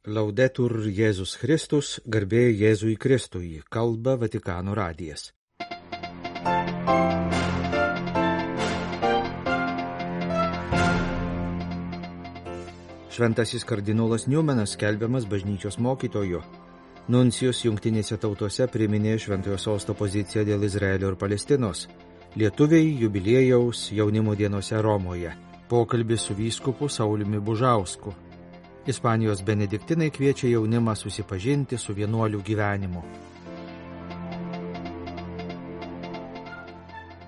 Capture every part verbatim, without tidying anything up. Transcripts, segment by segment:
Laudetur Jėzus Kristus, garbė Jėzui Kristui, kalba Vatikano radijas. Šventasis kardinolas Newmanas skelbiamas bažnyčios mokytoju. Nuncijus jungtinėse tautose priminė Šventojo Sosto poziciją dėl Izraelio ir Palestinos. Lietuviai jubiliejaus jaunimo dienose Romoje. Pokalbis su vyskupu Sauliumi Bužausku. Ispanijos benediktinai kviečia jaunimą susipažinti su vienuolių gyvenimu.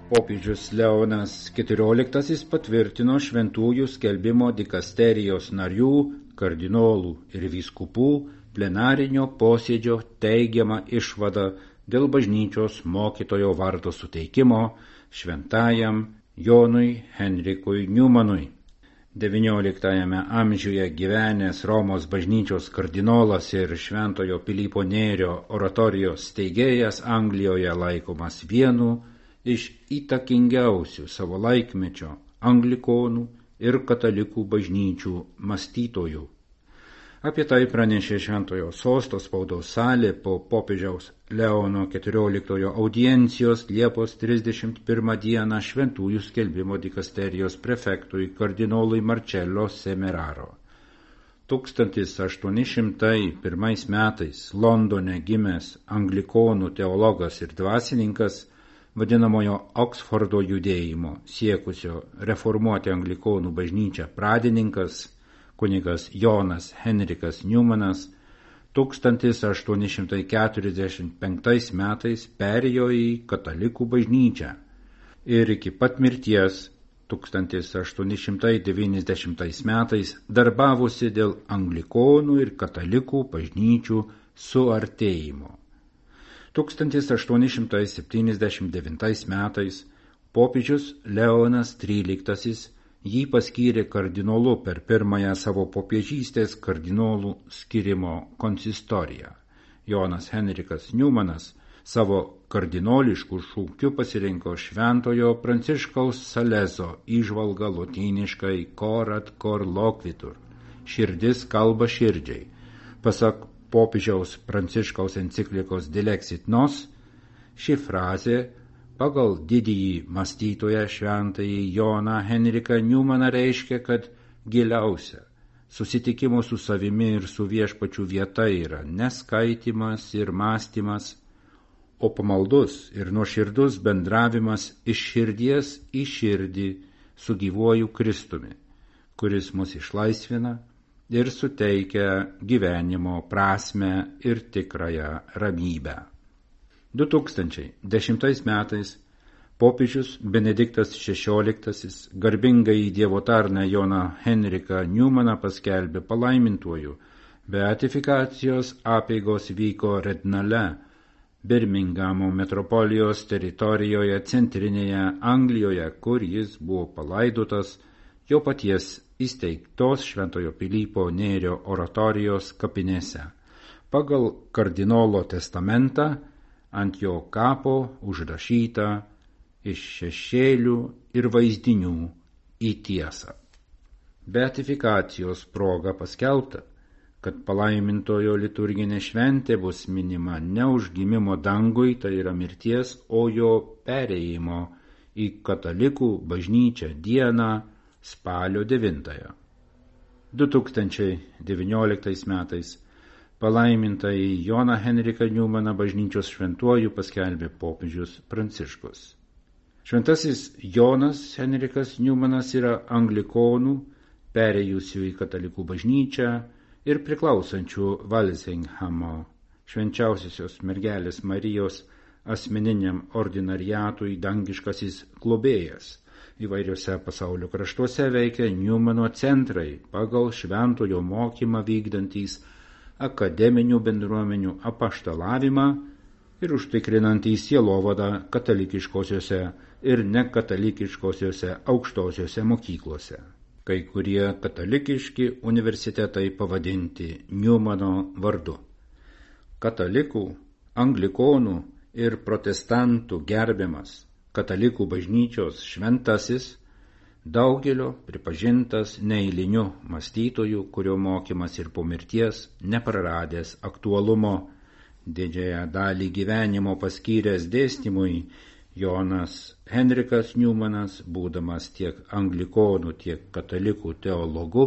Popiežius Leonas keturioliktasis patvirtino šventųjų skelbimo dikasterijos narių, kardinolų ir vyskupų plenarinio posėdžio teigiamą išvadą dėl bažnyčios mokytojo vardo suteikimo šventajam Jonui Henrikui Newmanui. devynioliktajame amžiuje gyvenęs Romos bažnyčios kardinolas ir Šventojo Pilypo Nėrio oratorijos steigėjas Anglijoje laikomas vienu iš įtakingiausių savo laikmečio anglikonų ir katalikų bažnyčių mąstytojų. Apie tai pranešė Šventojo Sosto spaudos salė po popiežiaus Leono keturioliktojo audiencijos Liepos trisdešimt pirmą dieną šventųjų skelbimo dikasterijos prefektui kardinolui Marcello Semeraro. tūkstantis aštuoni šimtai pirmais metais Londone gimęs anglikonų teologas ir dvasininkas, vadinamojo Oksfordo judėjimo siekusio reformuoti anglikonų bažnyčią pradininkas, kunigas Jonas Henrikas Newmanas, tūkstantis aštuoni šimtai keturiasdešimt penktais metais perėjo į katalikų bažnyčią ir iki pat mirties tūkstantis aštuoni šimtai devyniasdešimtais metais darbavosi dėl anglikonų ir katalikų bažnyčių suartėjimo. tūkstantis aštuoni šimtai septyniasdešimt devintais metais popiežius Leonas tryliktasis jį paskyrė kardinolu per pirmąją savo popiežystės kardinolų skyrimo konsistoriją. Jonas Henrikas Newmanas savo kardinoliškų šūkių pasirinko Šventojo Pranciškaus Salezo įžvalgą lotyniškai Corat cor loquitur, širdis kalba širdžiai. Pasak popiežiaus Pranciškaus enciklikos Dilexit Nos, ši frazė pagal didįjį mąstytoją šventąjį Joną Henriką Newmaną reiškia, kad giliausia susitikimo su savimi ir su viešpačiu vieta yra neskaitimas ir mąstymas, o pamaldus ir nuoširdus bendravimas iš širdies į širdį su gyvuoju Kristumi, kuris mus išlaisvina ir suteikia gyvenimo prasmę ir tikrąją ramybę. du tūkstančiai dešimtais metais popiežius Benediktas šešioliktasis garbingąjį Dievo tarną Joną Henriką Newmaną paskelbė palaimintuoju. Beatifikacijos apeigos vyko Rednale, Birmingamo metropolijos teritorijoje centrinėje Anglijoje, kur jis buvo palaidotas jo paties įsteigtos Šventojo Pilypo Nėrio oratorijos kapinėse. Pagal kardinolo testamentą ant jo kapo užrašyta iš šešėlių ir vaizdinių į tiesą. Beatifikacijos proga paskelbta, kad palaimintojo liturginė šventė bus minima ne užgimimo dangui, tai yra mirties, o jo perėjimo į katalikų bažnyčią dieną spalio devintąją. du tūkstančiai devynioliktais metais palaimintąjį Joną Henriką Newmaną bažnyčios šventuoju paskelbė popiežius Pranciškus. Šventasis Jonas Henrikas Newmanas yra anglikonų, perėjusių į katalikų bažnyčią ir priklausančių Walsinghamo švenčiausiosios mergelės Marijos asmeniniam ordinariatui dangiškasis globėjas. Įvairiuose pasaulio kraštuose veikia Newmano centrai pagal šventojo mokymą vykdantys akademinių bendruomenių apaštalavimą ir užtikrinantys sielovadą katalikiškosiuose ir nekatalikiškosiuose aukštosiuose mokyklose. Kai kurie katalikiški universitetai pavadinti Newmano vardu. Katalikų, anglikonų ir protestantų gerbiamas katalikų bažnyčios šventasis Daugelio pripažintas neeiliniu mąstytoju, kurio mokymas ir po mirties nepraradęs aktualumo. Didžiąją dalį gyvenimo paskyręs dėstymui, Jonas Henrikas Newmanas, būdamas tiek anglikonų, tiek katalikų teologu,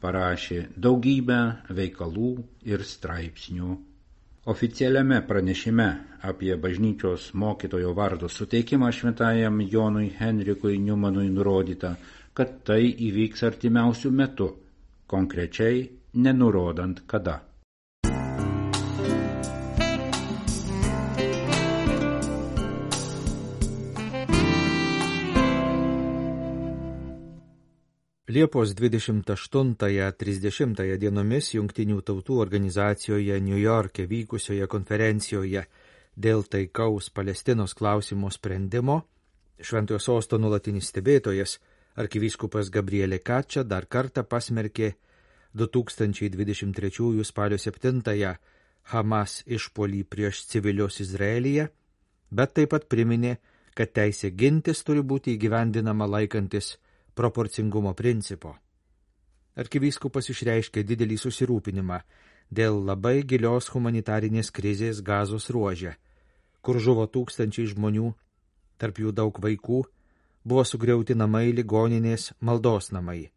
parašė daugybę veikalų ir straipsnių. Oficialiame pranešime apie bažnyčios mokytojo vardo suteikimą šventajam Jonui Henrikui Newmanui nurodyta, kad tai įvyks artimiausių metų, konkrečiai nenurodant kada. Liepos dvidešimt aštuntąją trisdešimtąją dienomis Jungtinių tautų organizacijoje New York'e vykusioje konferencijoje dėl taikaus Palestinos klausimo sprendimo Šventojo sosto nuolatinis stebėtojas arkivyskupas Gabrielė Kačia dar kartą pasmerkė du tūkstančiai dvidešimt trečiųjų spalio septintąją Hamas išpuolį prieš civilius Izraelyje, bet taip pat priminė, kad teisė gintis turi būti įgyvendinama laikantis proporcingumo principo. Arkivyskupas išreiškė didelį susirūpinimą dėl labai gilios humanitarinės krizės Gazos ruože, kur žuvo tūkstančiai žmonių, tarp jų daug vaikų, buvo sugriauti namai, ligoninės, maldos namai.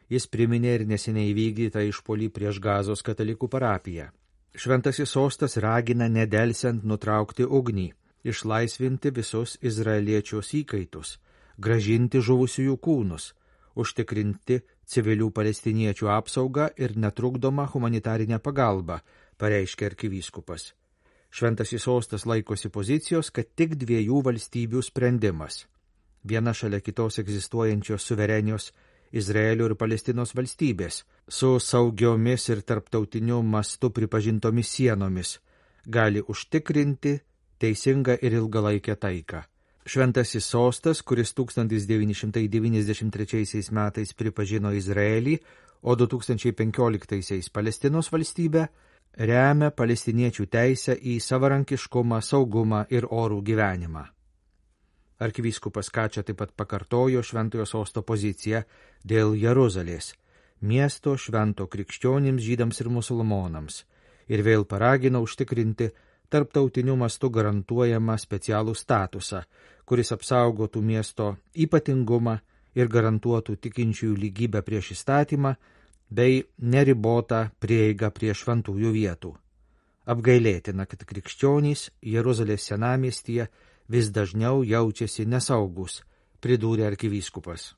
Jis priminė ir neseniai įvykdytą išpuolį prieš Gazos katalikų parapiją. Šventasis sostas ragina nedelsiant nutraukti ugnį, išlaisvinti visus izraeliečios įkaitus, gražinti žuvusiųjų kūnus, užtikrinti civilių palestiniečių apsaugą ir netrukdomą humanitarinę pagalbą, pareiškė arkivyskupas. Šventasis sostas laikosi pozicijos, kad tik dviejų valstybių sprendimas, viena šalia kitos egzistuojančios suverenios Izraelio ir Palestinos valstybės, su saugiomis ir tarptautiniu mastu pripažintomis sienomis, gali užtikrinti teisingą ir ilgalaikę taiką. Šventasis sostas, kuris tūkstantis devyni šimtai devyniasdešimt trečiaisiais metais pripažino Izraelį, o du tūkstančiai penkioliktaisiais Palestinos valstybę, remia palestiniečių teisę į savarankiškumą, saugumą ir orų gyvenimą. Arkivyskupas Kačia taip pat pakartojo Šventojo sosto poziciją dėl Jeruzalės, miesto švento krikščionims, žydams ir musulmonams, ir vėl paragino užtikrinti tarptautiniu mastu garantuojamą specialų statusą, kuris apsaugotų miesto ypatingumą ir garantuotų tikinčiųjų lygybę prieš įstatymą bei neribotą prieigą prie šventųjų vietų. Apgailėtina, kad krikščionys Jeruzalės senamiestyje vis dažniau jaučiasi nesaugus, pridūrė arkivyskupas.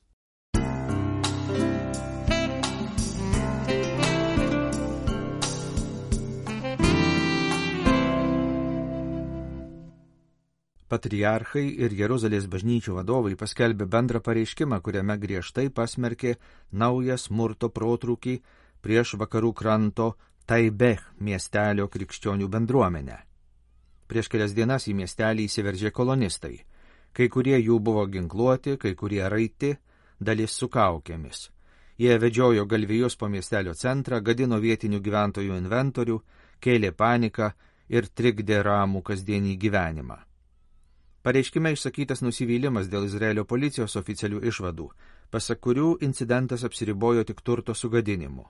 Patriarchai ir Jeruzalės bažnyčių vadovai paskelbė bendrą pareiškimą, kuriame griežtai pasmerkė naują smurto protrūkį prieš vakarų kranto Taibeh miestelio krikščionių bendruomenę. Prieš kelias dienas į miestelį įsiveržė kolonistai. Kai kurie jų buvo ginkluoti, kai kurie raiti, dalis su kaukėmis. Jie vedžiojo galvijus po miestelio centrą, gadino vietinių gyventojų inventorių, kėlė paniką ir trikdė ramų kasdienį gyvenimą. Pareiškime išsakytas nusivylimas dėl Izraelio policijos oficialių išvadų, pasak kurių incidentas apsiribojo tik turto sugadinimu.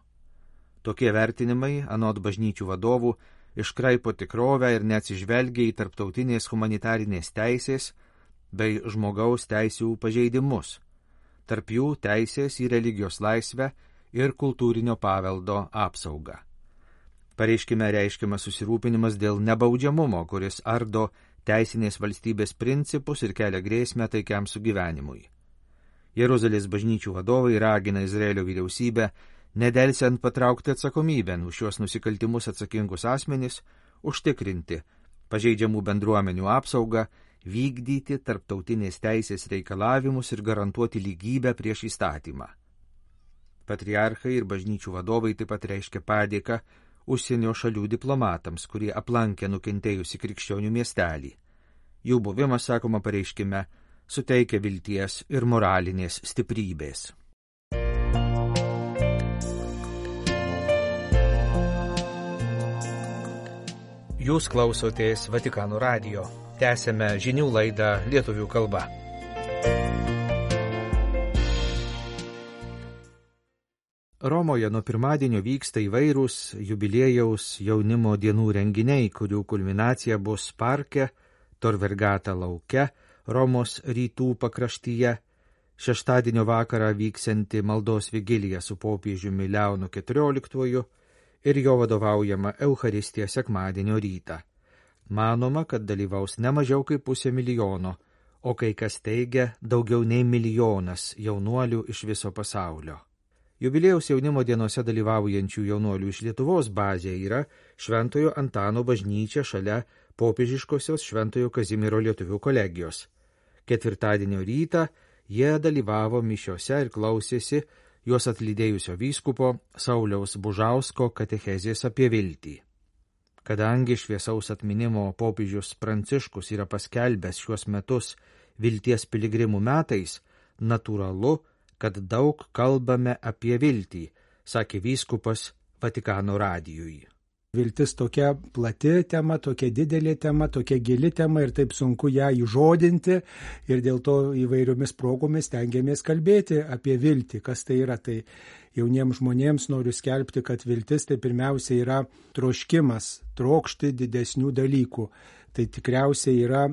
Tokie vertinimai, anot bažnyčių vadovų, iškraipo tikrovę ir neatsižvelgia į tarptautinės humanitarinės teisės bei žmogaus teisių pažeidimus, tarp jų teisės į religijos laisvę ir kultūrinio paveldo apsaugą. Pareiškime reiškiamas susirūpinimas dėl nebaudžiamumo, kuris ardo teisinės valstybės principus ir kelia grėsmę taikiam sugyvenimui. Jeruzalės bažnyčių vadovai ragina Izraelio vyriausybę nedelsiant patraukti atsakomybėn už šios nusikaltimus atsakingus asmenis, užtikrinti pažeidžiamų bendruomenių apsaugą, vykdyti tarptautinės teisės reikalavimus ir garantuoti lygybę prieš įstatymą. Patriarchai ir bažnyčių vadovai taip pat reiškia padėką užsienio šalių diplomatams, kurie aplankė nukentėjusi krikščionių miestelį. Jų buvimas, sakoma pareiškime, suteikia vilties ir moralinės stiprybės. Jūs klausotės Vatikano radijo. Tęsėme žinių laidą lietuvių kalba. Romoje nuo pirmadienio vyksta įvairūs jubiliejaus jaunimo dienų renginiai, kurių kulminacija bus parke, Tor Vergata lauke, Romos rytų pakraštyje, šeštadienio vakarą vyksianti maldos vigilija su popiežiumi Leonu keturioliktuoju ir jo vadovaujama Eucharistija sekmadienio rytą. Manoma, kad dalyvaus ne mažiau kaip pusė milijono, o kai kas teigia daugiau nei milijonas jaunuolių iš viso pasaulio. Jubiliejaus jaunimo dienose dalyvaujančių jaunuolių iš Lietuvos bazė yra Šventojo Antano bažnyčia šalia popiežiškosios Šventojo Kazimiero lietuvių kolegijos. Ketvirtadienio rytą jie dalyvavo mišiose ir klausėsi juos atlydėjusio vyskupo Sauliaus Bužausko katechezės apie viltį. Kadangi šviesaus atminimo popiežius Pranciškus yra paskelbęs šiuos metus vilties piligrimų metais, natūralu, kad daug kalbame apie viltį, sakė vyskupas Vatikano radijui. Viltis tokia plati tema, tokia didelė tema, tokia gili tema ir taip sunku ją įžodinti ir dėl to įvairiomis progomis stengiamės kalbėti apie viltį. Kas tai yra? Tai jauniems žmonėms noriu skelbti, kad viltis tai pirmiausia yra troškimas, trokšti didesnių dalykų. Tai tikriausiai yra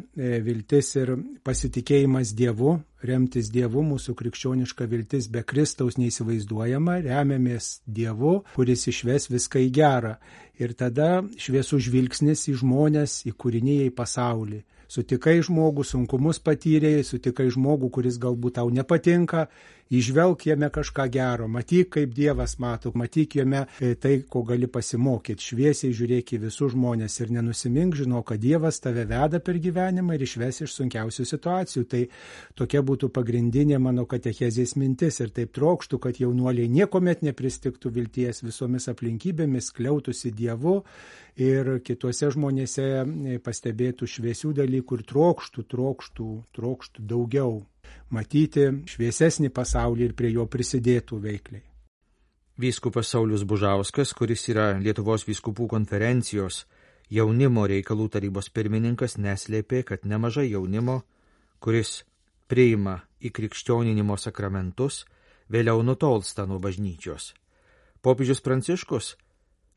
viltis ir pasitikėjimas Dievu, remtis Dievu, mūsų krikščioniška viltis be Kristaus neįsivaizduojama, remiamės Dievu, kuris išves viską į gerą. Ir tada šviesus žvilgsnis į žmonės, į kūriniją, į pasaulį. Sutikai žmogų, sunkumus patyrėjai, sutikai žmogų, kuris galbūt tau nepatinka, įžvelk jame kažką gero, matyk, kaip Dievas mato, matyk jame tai, ko gali pasimokyti, šviesiai žiūrėk į visus žmonės ir nenusimink, žinok, kad Dievas tave veda per gyvenimą ir išves iš sunkiausių situacijų. Tai tokia būtų pagrindinė mano katechezės mintis ir taip trokštų, kad jaunuoliai niekomet nepristiktų vilties visomis aplinkybėmis, kliautųsi Dievu ir kituose žmonėse pastebėtų šviesių dalykų ir trokštų, trokštų, trokštų daugiau, matyti šviesesnį pasaulį ir prie jo prisidėtų veikliai. Vyskupas Saulius Bužauskas, kuris yra Lietuvos vyskupų konferencijos jaunimo reikalų tarybos pirmininkas, neslėpė, kad nemažai jaunimo, kuris priima įkrikščioninimo sakramentus, vėliau nutolsta nuo bažnyčios. Popiežius Pranciškus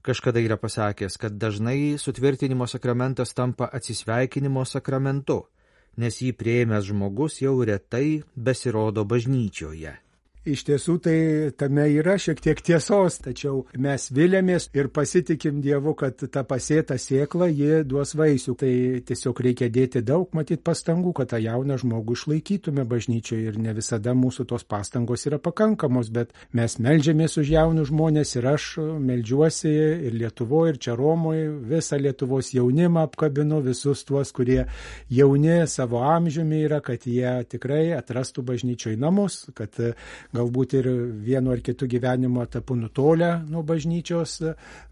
kažkada yra pasakęs, kad dažnai sutvirtinimo sakramentas tampa atsisveikinimo sakramentu, nes jį priėmęs žmogus jau retai besirodo bažnyčioje. Iš tiesų tai tame yra šiek tiek tiesos, tačiau mes viliamės ir pasitikim Dievu, kad ta pasėta sėkla, ji duos vaisių. Tai tiesiog reikia dėti daug, matyt, pastangų, kad tą jauną žmogų išlaikytume bažnyčioje ir ne visada mūsų tos pastangos yra pakankamos, bet mes meldžiamės už jaunus žmonės ir aš meldžiuosi ir Lietuvoje, ir čia Romoje, visą Lietuvos jaunimą apkabinu, visus tuos, kurie jauni savo amžiumi yra, kad jie tikrai atrastų bažnyčioje namus, kad galbūt ir vienu ar kitu gyvenimo etapu nutolę nuo bažnyčios,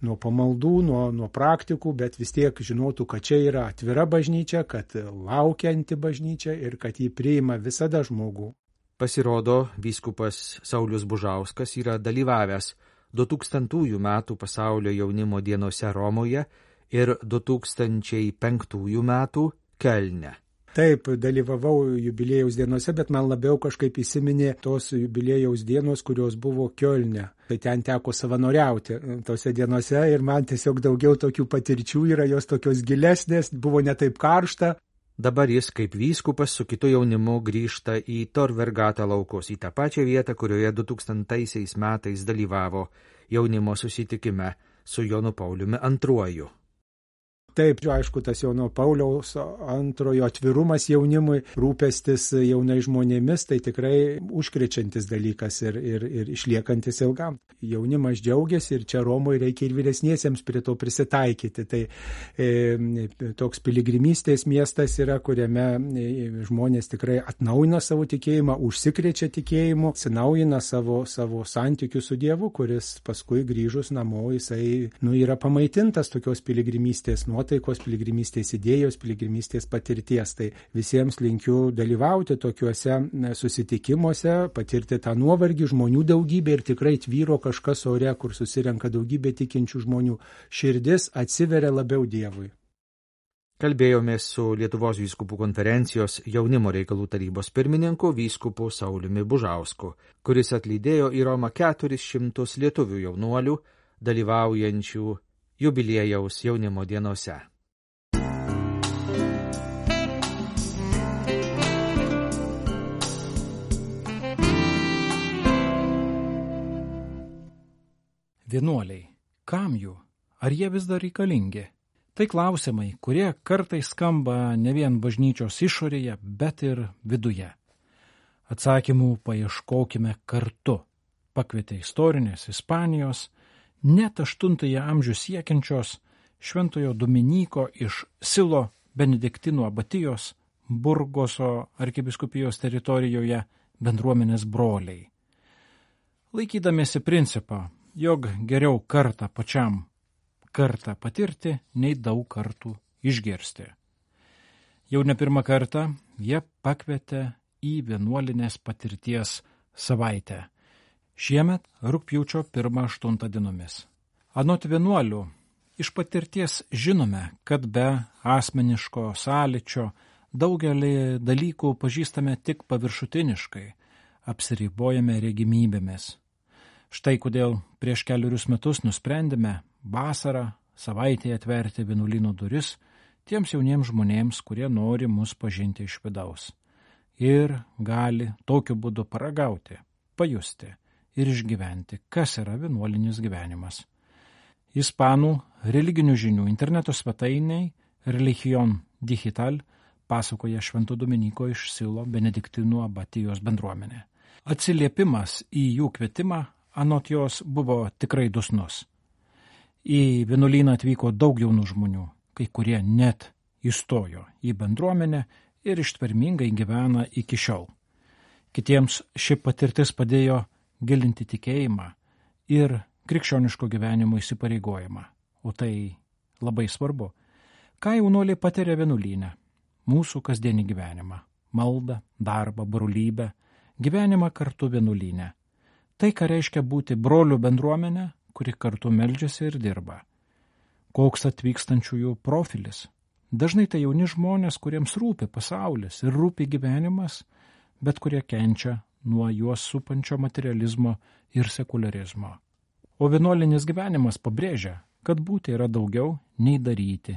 nuo pamaldų, nuo, nuo praktikų, bet vis tiek žinotų, kad čia yra atvira bažnyčia, kad laukianti bažnyčia ir kad jį priima visada žmogų. Pasirodo, vyskupas Saulius Bužauskas yra dalyvavęs du tūkstantųjų metų pasaulio jaunimo dienose Romoje ir du tūkstančiai penktųjų metų Kelne. Taip, dalyvavau jubiliejaus dienose, bet man labiau kažkaip įsiminė tos jubiliejaus dienos, kurios buvo Kiolne. Tai ten teko savanoriauti tose dienose ir man tiesiog daugiau tokių patirčių yra, jos tokios gilesnės, buvo ne taip karšta. Dabar jis kaip vyskupas su kitu jaunimu grįžta į Tor Vergata laukus, į tą pačią vietą, kurioje du tūkstantaisiais metais dalyvavo jaunimo susitikime su Jonu Pauliumi antruoju. Taip, aišku, tas Jono Pauliaus antrojo atvirumas jaunimui, rūpestis jaunai žmonėmis, tai tikrai užkrečiantis dalykas ir, ir, ir išliekantis ilgam. Jaunimas džiaugiasi ir čia Romoje reikia ir vyresniesiems prie to prisitaikyti. Tai e, toks piligrimystės miestas yra, kuriame e, žmonės tikrai atnaujina savo tikėjimą, užsikrečia tikėjimu, atsinaujina savo, savo santykių su Dievu, kuris paskui grįžus namo, jisai nu, yra pamaitintas tokios piligrimystės nuo taikos piligrimystės idėjos, piligrimystės patirties. Tai visiems linkiu dalyvauti tokiuose susitikimuose, patirti tą nuovargį, žmonių daugybę ir tikrai tvyro kažkas ore, kur susirenka daugybė tikinčių žmonių. Širdis atsiveria labiau Dievui. Kalbėjomės su Lietuvos vyskupų konferencijos jaunimo reikalų tarybos pirmininku vyskupu Sauliumi Bužausku, kuris atlydėjo į Romą keturis šimtus lietuvių jaunuolių, dalyvaujančių jubiliejaus jaunimo dienose. Vienuoliai, kam jų? Ar jie vis dar reikalingi? Tai klausimai, kurie kartais skamba ne vien bažnyčios išorėje, bet ir viduje. Atsakymų paieškokime kartu. Pakvietė istorinės Ispanijos, net aštuntąjį amžių siekiančios Šventojo Dominyko iš Silo benediktinų abatijos Burgoso arkivyskupijos teritorijoje bendruomenės broliai. Laikydamiesi principą, jog geriau kartą pačiam kartą patirti, nei daug kartų išgirsti. Jau ne pirmą kartą jie pakvietė į vienuolinės patirties savaitę. Šiemet rugpjūčio pirmą aštuntą dienomis. Anot vienuolių, iš patirties žinome, kad be asmeniško sąlyčio daugelį dalykų pažįstame tik paviršutiniškai, apsiribojame regimybėmis. Štai kodėl prieš keliurius metus nusprendėme vasarą savaitėje atverti vienuolyno duris tiems jauniems žmonėms, kurie nori mus pažinti iš vidaus ir gali tokiu būdu paragauti, pajusti ir išgyventi, kas yra vienuolinis gyvenimas. Ispanų religinių žinių interneto svetainiai Religion Digital pasakoja Švento Dominyko iš Silo benediktinų abatijos bendruomenė. Atsiliepimas į jų kvietimą anot jos buvo tikrai dosnus. Į vienuolyną atvyko daug jaunų žmonių, kai kurie net įstojo į bendruomenę ir ištvermingai gyvena iki šiol. Kitiems ši patirtis padėjo gilinti tikėjimą ir krikščioniško gyvenimo įsipareigojimą, o tai labai svarbu. Ką jaunuoliai patiria vienuolyne? Mūsų kasdienį gyvenimą, maldą, darbą, brolybę, gyvenimą kartu vienuolyne. Tai, ką reiškia būti brolių bendruomenė, kuri kartu meldžiasi ir dirba. Koks atvykstančiųjų profilis? Dažnai tai jauni žmonės, kuriems rūpi pasaulis ir rūpi gyvenimas, bet kurie kenčia nuo juos supančio materializmo ir sekularizmo. O vienuolinis gyvenimas pabrėžia, kad būti yra daugiau nei daryti.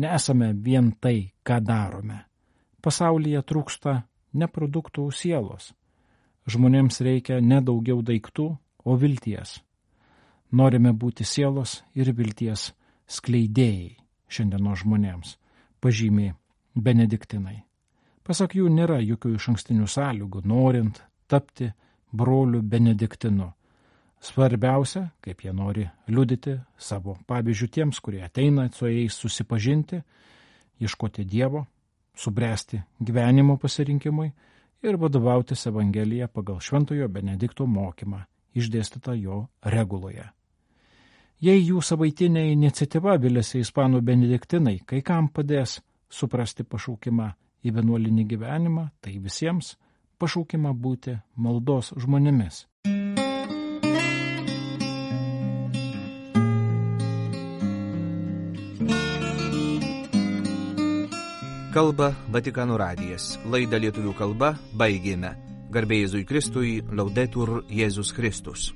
Nesame vien tai, ką darome. Pasaulyje trūksta ne produktų sielos. Žmonėms reikia ne daugiau daiktų, o vilties. Norime būti sielos ir vilties skleidėjai šiandienos žmonėms, pažymiai benediktinai. Pasak jų nėra jokių išankstinių sąlygų, norint tapti broliu benediktinu. Svarbiausia, kaip jie nori liudyti savo pavyzdžių tiems, kurie ateina su jais susipažinti, ieškoti Dievo, subręsti gyvenimo pasirinkimui ir vadovautis Evangeliją pagal Šventojo Benedikto mokymą, išdėstytą jo reguloje. Jei jų savaitinė iniciatyva viliasi ispanų benediktinai, kai kam padės suprasti pašaukimą į vienuolinį gyvenimą, tai visiems pašaukimą būti maldos žmonėmis. Kalba Vatikano radijas. Laidą lietuvių kalba baigėme. Garbė Jėzui Kristui, Laudetur Jėzus Kristus.